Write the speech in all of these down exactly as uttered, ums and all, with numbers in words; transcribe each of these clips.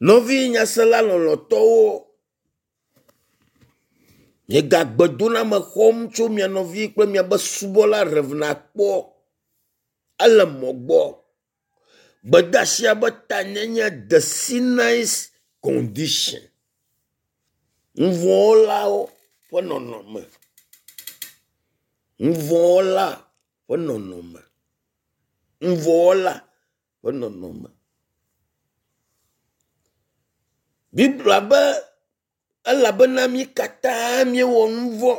Nɔvi nyasela lɔlɔtɔwo, miegagbe doname xɔm tso mia nɔvi kple miabe subɔla Rev. Akpɔ ele mɔ gbɔ. Gbedeasia be tanyenye the sinners condition. Nuvɔ̃wɔlawo ƒe nɔnɔme. Nuvɔ̃wɔla ƒe nɔnɔme. Nuvɔ̃wɔla ƒe nɔnɔme. Biblia be elabena mí katã míewɔ nu vɔ̃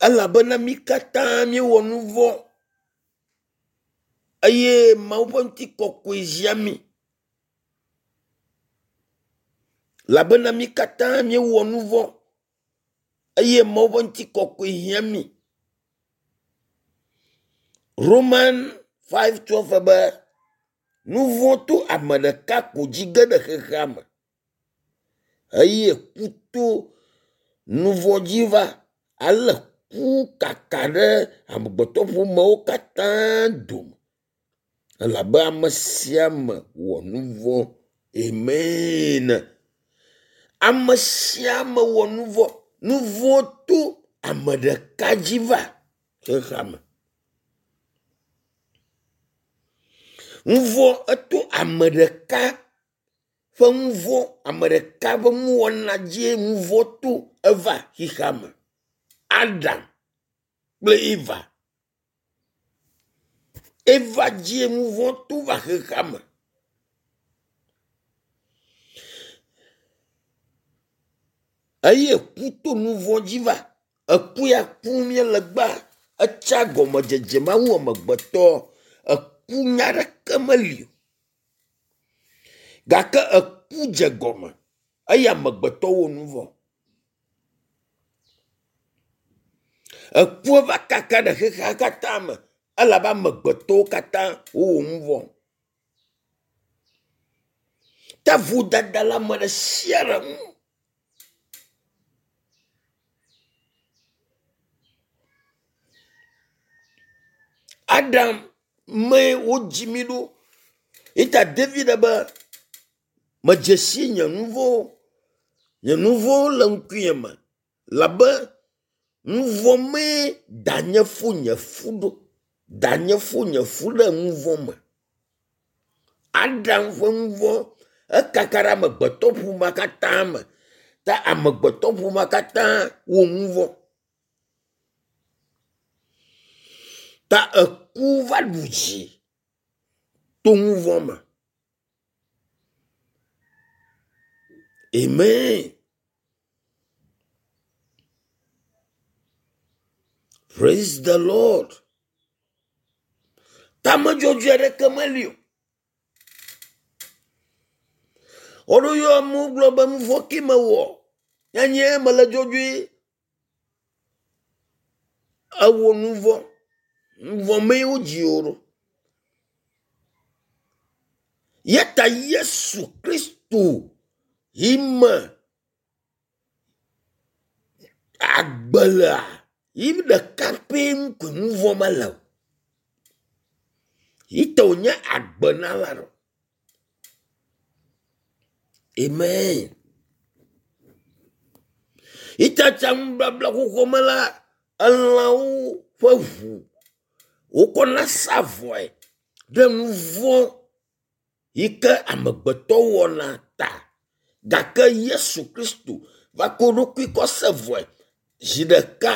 elabena mí katã míewɔ nu vɔ̃ eye Mawu ƒe ŋutikɔkɔe zia mí. Elabena mí katã míewɔ nu vɔ̃ eye Mawu ƒe ŋutikɔkɔe hiã mí. Roman five twelve be nu vɔ̃ to ame ɖeka ko dzi ge ɖe xexea me eye ku to nu vɔ̃ dzi va ale ku kaka ɖe amegbetɔƒomewo katã dome elabe ame sia ame wɔ nu vɔ̃. Amen. Ame sia ame wɔ nu vɔ̃. Nu vɔ̃ to ame ɖeka dzi va xexea me. Nu vɔ̃ eto ame ɖeka ƒe nu vɔ̃, ame ɖeka ƒe nuwɔna dzie nu vɔ̃ to eva xexea me. Adam kple Eva. Eva dzie nu vɔ̃ to va xexea me. Eye ku to nu vɔ̃ dzi va. Eku ya kum míele gbea, etsa gɔmedzedze Mawu amegbetɔ. Eku nya ɖeke meli o. Gake eku dze gɔme eye amegbetɔ wɔ nu vɔ̃. Ekua va kaka ɖe xexea katã me elabe amegbetɔwo katã wowɔ nu vɔ̃. Ta vodada le ame ɖe sia ɖe ŋu. Adam mee wodzi mí ɖo. Eya David be medze si nye nu vɔ̃wo. Nye nu vɔ̃wo le ŋkunye me labe nu vɔ̃ mee danye fo nye fu ɖo. Danye fo nye fu ɖe nu vɔ̃ me. Adam ƒe nu vɔ̃ ekaka ɖe amegbetɔ ƒomea katã me. Ta amegbetɔ ƒomea katã wɔ nu vɔ̃. Ta eku va ɖu dzi to nu vɔ̃ me. Amen. Praise the Lord. Tamedzɔdzɔe aɖeke meli o. Woɖo yɔ amewo gblɔ be nu vɔ̃ ke mewɔ. Nyanye mele dzɔdzɔe. Ewɔ nu vɔ̃. Nu vɔ̃ mee wodzi wò ɖo. Ya ta Yesu Kristo yi me agbe lea, yi ɖeka pɛ ŋu koe nu vɔ̃ mele o. Yi ta wònye agbenala ɖo. Amen. Yi ta tsa nubabla xoxoa me la, elãwo ƒe ʋu wokɔna sa vɔe ɖe nu vɔ̃ yi ke amegbetɔ wɔna ta. Gake Yesu Kristo va ko eɖokui kɔ se vɔe zi ɖeka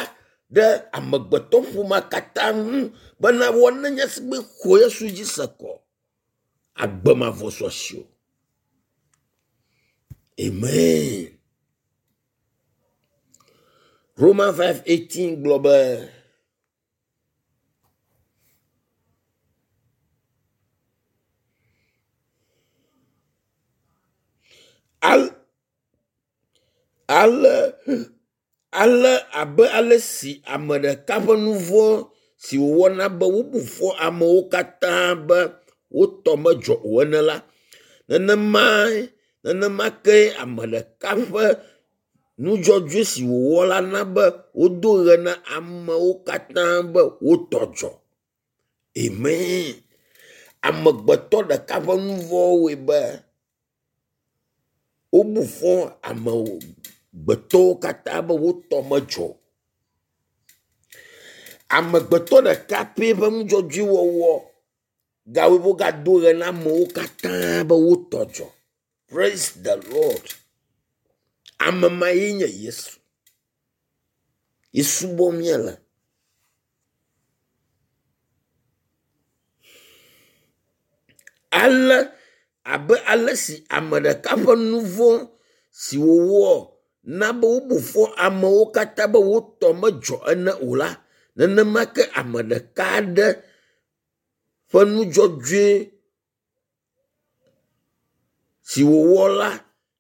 ɖe amegbetɔ ƒomea katã ŋu bena woane nye si be xɔ Yesu dzi se kɔ. Agbe mavɔ su asiwò. Amen. Roman five eighteen gblɔ be al ale ale abe ale si ame ɖeka ƒe nu vɔ̃ si wòwɔna be wobu fɔ amewo katã be wotɔ medzɔ o ene la, nenemae nenema kee ame ɖeka ƒe nudzɔdzɔe si wòwɔ la na be wodo ɣe na amewo katã be wotɔ dzɔ. Amen. Amegbetɔ ɖeka ƒe nu vɔ̃ wɔe be Wobu fɔ amegbetɔwo katã be wotɔ medzɔ o. Amegbetɔ ɖeka pɛ ƒe nudzɔdzɔewɔwɔ gawɔe be wogado ʋe na amewo katã be wotɔ dzɔ. Praise the Lord. Ame ma ye nye Yesu. Yi subɔm míele. Ale abe ale si ame ɖeka ƒe nu vɔ̃ si wòwɔ na be wobu fɔ amewo katã be wotɔ medzɔ ene o la, nenema ke ame ɖeka aɖe ƒe nu dzɔdzɔe si wòwɔ la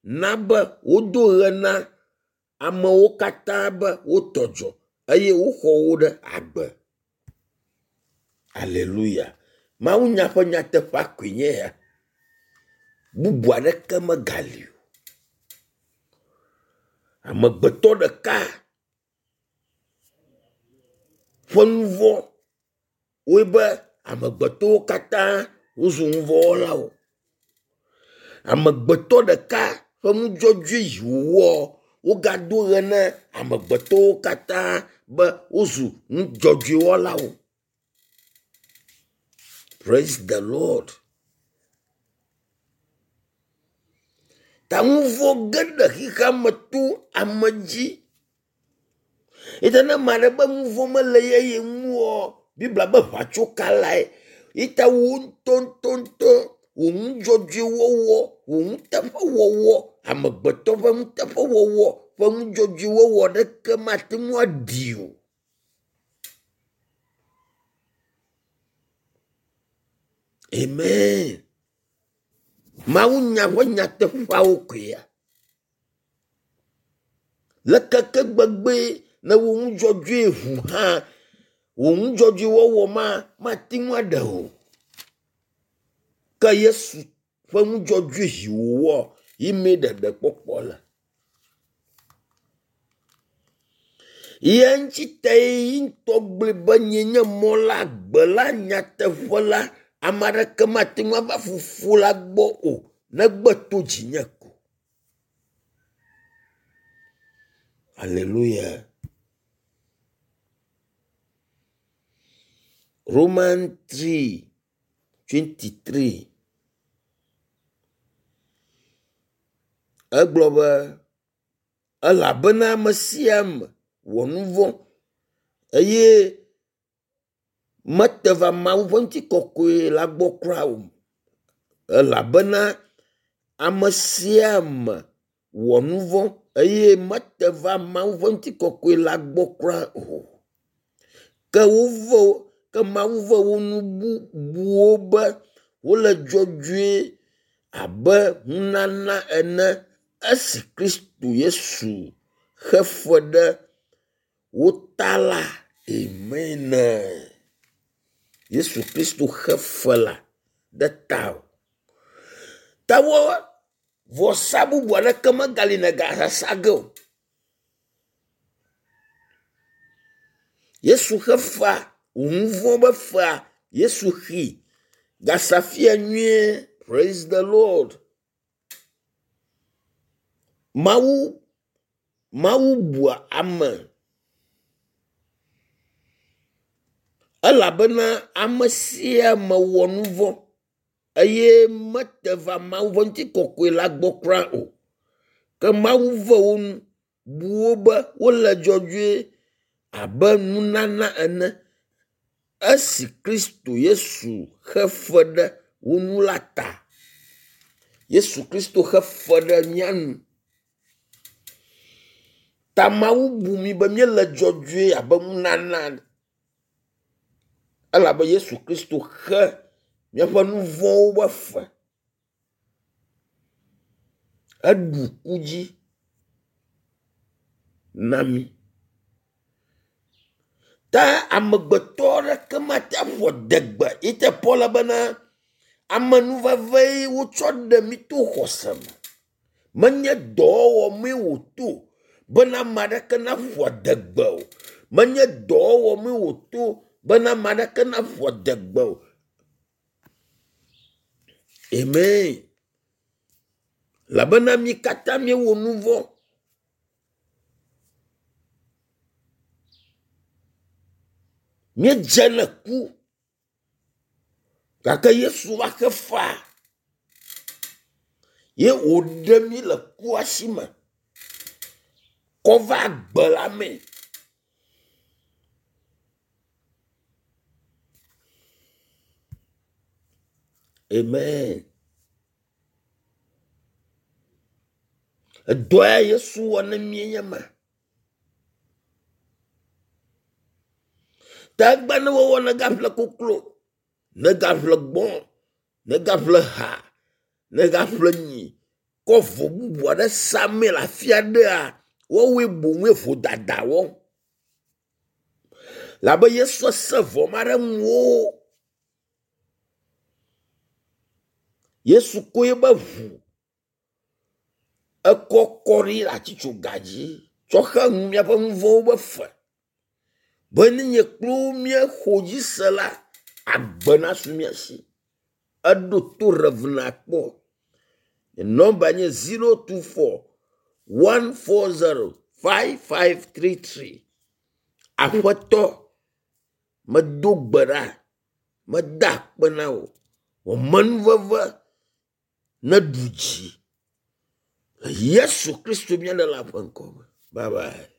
na be wodo ʋe na amewo katã be wotɔ dzɔ eye woxɔ wo ɖe agbe. Aleluya. Mawunya ƒe nyateƒea koe nye ya. Bubu aɖeke megali o. Amegbetɔ ɖeka ƒe nu vɔ̃ wɔe be amegbetɔwo katã wozu nuvɔ̃wɔlawo. Amegbetɔ ɖeka ƒe nu dzɔdzɔe yi wòwɔ wogado ʋe na amegbetɔwo katã be wozu nu dzɔdzɔe wɔlawo. Praise the Lord. Ta nu vɔ̃ ge ɖe xexea me to ame dzi. Eye ne ame aɖe be nu vɔ̃ mele ye ye ŋu oa, Biblia be ʋatsokalae. Yi ta wò ŋutɔŋutɔŋutɔ wò nudzɔdzɔewɔwɔ, wò nuteƒewɔwɔ, amegbetɔ ƒe nuteƒewɔwɔ ƒe nudzɔdzɔewɔwɔ ɖeke mate ŋu aɖi o. Amen. Mawunya ƒe nyateƒeawo koe ya. Le keke gbegbee ne wò nudzɔdzɔe ʋu hã, wò nudzɔdzɔewɔwɔ ma mate ŋu aɖe o. Ke Yesu ƒe nudzɔdzɔe yi wòwɔ yi mee ɖeɖekpɔkpɔ le. Ye ŋuti tae yi ŋutɔ gblɔe be nye nye mɔ la, agbe la, nyateƒe la, ame aɖeke mate ŋu ava fofo la gbɔ o negbe to dzinye ko. Alléluia. Roman three twenty three. Egblɔ be elabena ame sia ame wɔ nu vɔ̃ eye mete va Mawu ƒe ŋutikɔkɔe la gbɔ kura o. Elabena ame sia ame wɔ nu vɔ̃ eye mete va Mawu ƒe ŋutikɔkɔe la gbɔ kura o. Ke wove ke Mawu ve wo nu bubuwo be wole dzɔdzɔe abe nunana ene esi Kristo Yesu xe fe ɖe wo ta la. Amen. Yesu Kristo xe fe la ɖe tawò. Ta wɔ vɔsa bubu aɖeke megali nègasasa ge o. Yesu xe fea, wò nu vɔ̃ be fea, Yesu xee. Gasa fia nyuie. Praise the Lord. Mawu Mawu bua ame elabena ame sia ame wɔ nu vɔ̃ eye mete va Mawu ƒe ŋutikɔkɔe la gbɔ kura o. Ke Mawu ve wo nu, bu wo be wole dzɔdzɔe abe nunana ene esi Kristo Yesu xe fe ɖe wo nu la ta. Yesu Kristo xe fe ɖe mía nu. Ta Mawu bu mí be míele dzɔdzɔe abe nunana ene. Elabe Yesu Kristo xe míaƒe nu vɔ̃wo ƒe fe. Eɖu ku dzi na mí. Ta amegbetɔ aɖeke mate ƒo adegbe yi te Paul bena amenuvevee wotsɔ ɖe mí to xɔse me. Menye dɔwɔwɔ mee wòto bena ame aɖeke naƒo adegbe o. Menye dɔwɔwɔ mee wòto bena ame aɖeke naƒo adegbe o. Amen. Elabena mí katã míewɔ nu vɔ̃. Míedze le ku gake Yesu va xe fea ye wòɖe mí le kua si me kɔ va agbe la mee. Amen. Edɔ ya Yesu wɔ ne mí nye ma. Ta egbe ne wowɔ negaƒle koklo, negaƒle gbɔ̃, negaƒle ha, negaƒle nyi, kɔ vo bubu aɖe samee le afi aɖea, woawoe boŋue vodada wɔm. Labe Yesu se vɔ ma ɖe ŋuwò. Yesu ko ebe ʋu ekɔ kɔ ɖi le atitsoga dzi tsɔ xe nu míaƒe nu vɔ̃wo be fe. Be ne nye kple wo míexɔ dzi se la, agbe nasu mía si. Eɖo to Rev. Akpɔ. Nɔmba nye zero two four one four zero five five three three. Aƒetɔ, medo gbe ɖa, meda akpe na wò. Wò amenuveve neɖu dzi. Le Yesu Kristo mía Ɖela ƒe ŋkɔ me. Bye bye.